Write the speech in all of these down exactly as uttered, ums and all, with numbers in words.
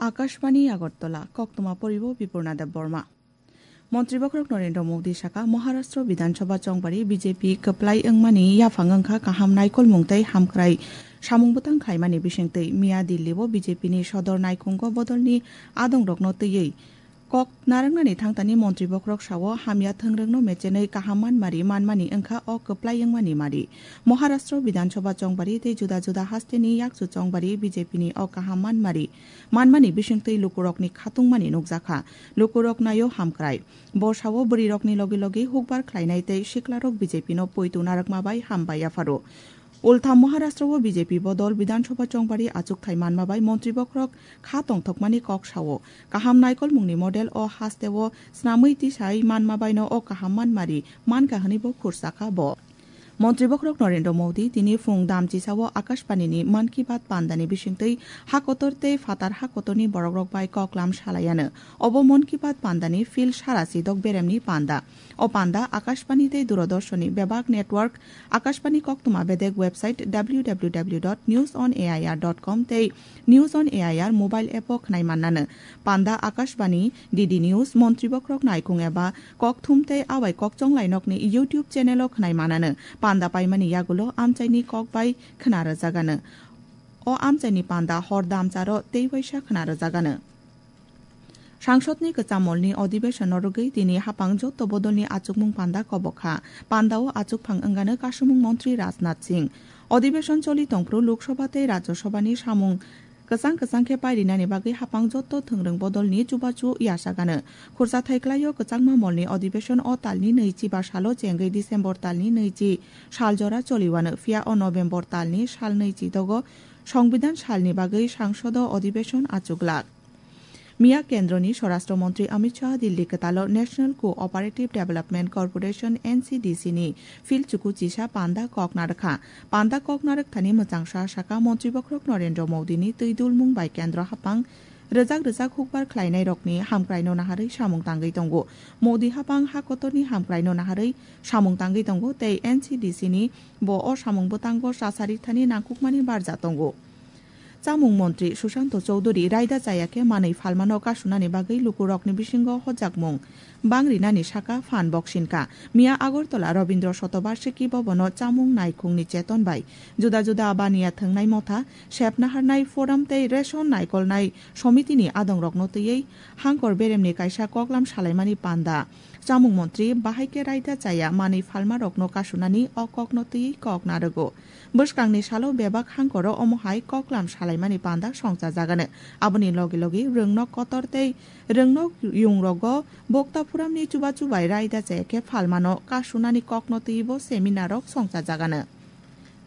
Akashbani Agartala, koktwma poribo Bipurna Debbarma. Montri Bokhorok Narendra Modi saka, Maharashtra Bidhan Sabha chongbari B J P kwplai wngmani yaphang wngkha kaham naikolmung tei hamkrai samung bwtang khlaimani bisingtwi. Miya Delhi-o B J P ni sodor naikhungo bodolni adongrokno twiwi kok narwknani thangtani Montri Bokhorok sao, hamya thwngrwngno mechenwi kaham manmari manmani wngkha o kwplai wngmani mari. Maharashtra Bidhan Sabha chongbari tei juda juda hasteni yakchu chongbari B J P ni o kaham manmari manmani bisingtwi lukurokni khatungmani nukjakha. Lukurok naio hamkrai. Bo sao bwrwirokni logi logi hukbar khlainai tei siklarok B J P no poito narwkma bai hambai yapharo. Ultha Maharashtra-o B J P bodol Bidhan Sabha chongbari achukthai manma bai Montri Bokhorok kha tongthokmani kok sao. Kaham naikolmungni model o hasteo snamwi tisai manma baino o kaham manmari mankha hwnwi bo khursakha bo. Montri Bokhorok Narendra Modi tini phung damchisao Akashbani ni Mann Ki Baat pandani bisingtwi hakotor tei phatar hakotorni borokrok bai koklam salaiano. Obo Mann Ki Baat pandani phil sara sidok beremni panda. O panda Akashbani tei Doordarshan ni bebak network, Akashbani koktwma bedek website W W W dot news on A I R dot com tei News on A I R mobile app o khwnai mannano. Panda Akashbani, D D News, Montri Bokhorok naikhung eba kokthum tei abai kokchong lainokni YouTube channel o khwnai mannano. Panda paimani yagulo amchaini kok bai khna rwjagano. O amchaini panda hor damcharo tei waisa khna rwjagano. Sangsodni kwcham molni adhibeshonno rwgwi tini haphang joto bodolni achukmung panda kobokha. Pandao achukphang wngano kasumung montri Rajnath Singh. Adhibeshon choli tongphuru Lok Sabha tei Rajya Sabhani samung kwchang kwchang khe pairinani bagwi haphang joto thwngrwng bodolni chubachu yachagano. Khurchathai klaio kwchangma molni adhibeshon o talni nwichi ba salo chengwi December talni nwichi sal jora choliwano, phiya o November talni sal nwichi dogo Songbidan salni bagwi sangsodo adhibeshon achuklak. Miya Kendroni Swarashtra Montri Amit Shah Delhi kwtalo National Cooperative Development Corporation, N C D C ni phil chuku chisa panda kok narwkha. Panda kok narwkthani mwchangsa saka Montri Bokhorok Narendra Modi ni twi dulmung bai kendro haphang rwjak rwjak hukbar khlainairokni hamkraino naharwi samung tangwi tongo. Modi haphang ha kotorni hamkraino naharwi samung tangwi tongo tei N C D C ni bo o samung bwtango chasari thani nangkukmani barja tongo. Chamung montri Sushanta Chowdhury raida chaya khe manwi phalmano kasunani bagwi lukurokni bisingo hojakmung bangrinani saka phan boksinka. Miya Agartala Rabindra Shatobarshiki Bhavan-o chamung naikhungni cheton bai juda juda baniya thwngnai motha, sep naharnai forum tei ration naikolnai somitini adongrokno twiwi hangkor beremni kaisa koklam salaimani panda. Chamung montri bahai khe raida chaya manwi phalmarokno kasunani o kokno twiwi kok narwgo. Bwskangni salo bebak hangkoro omo hai koklam salaimani panda songchajagano. Aboni logi logi rwngnok kotor tei rwngnok yungrogo bokta phuramni chubachu bai raida chaya khe phalmano kasunani kokno twiwi bo seminarrok songchajagano.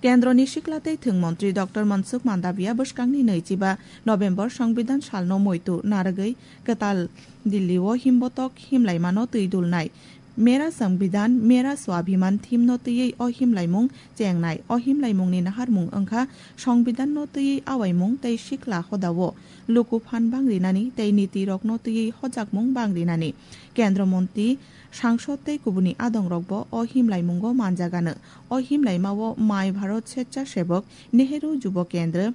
Kendroni sikla tei thwng montri Doctor Mansukh Mandaviya bwskangni nwichiba November Songbidan salno muitu narwgwi kwtal Dillio himbotok himlaimano twi dulnai Mera Songbidan, Mera Swabhiman theme no twiwi o himlaimung chengnai. O himlaimungni naharmung wngkha Songbidanno twiwi awaimung tei sikla hodao luku phan bangrinani tei nitirokno twiwi hojakmung bangrinani. Kendro montri, sangsod tei kubuni adongrokbo o himlaimungo manjagano. O himlaimao My Bharat Swechhasevak, Nehru Jubo Kendra,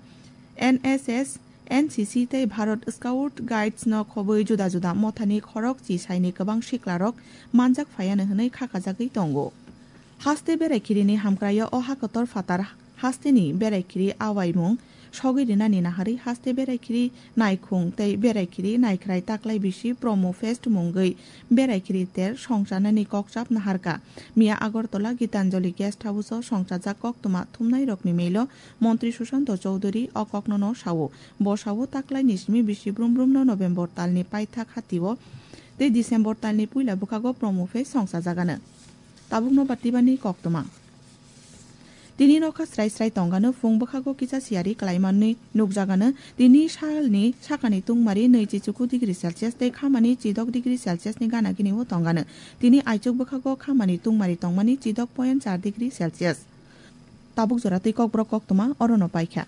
N S S, N C C tei Bharat Scout Guides no khobwi juda juda mothani khorok chisaini kwbang siklarok manjak phaiano hwnwi khakajagwi tongo. Haste berai khirini hamkraio o hakotor phatar hasteni berai khiri awaimung sogwi rinani naharwi haste berai khiri naikhung tei berai khiri naikhrai taklai bisi Promo Fest mungwi berai khiri ter songchanani kokchap naharka. Miya Agartala Gitanjali Guest House o songchajak koktwma thumnairokni melo Montri Sushanta Chowdhury o kokno no sao. Bo sao taklaini simi bisi brum brumno November talni paithak hatio tei December talni puila bwkhago Promo Fest songchajagano. Tabukno batibani koktwma. Tini nokha srai srai tongano, phung bwkhago kisa siyari kalaimani nukjagano. Tini salni sakani tungmari nwichi chuku degree Celsius tei khamani chidok degree Celsius ni gana gini o tongano. Tini aichuk bwkhago khamani tungmari tongmani chidok point char degree Celsius. Tabuk jora twi kokborok koktwma orono paikha.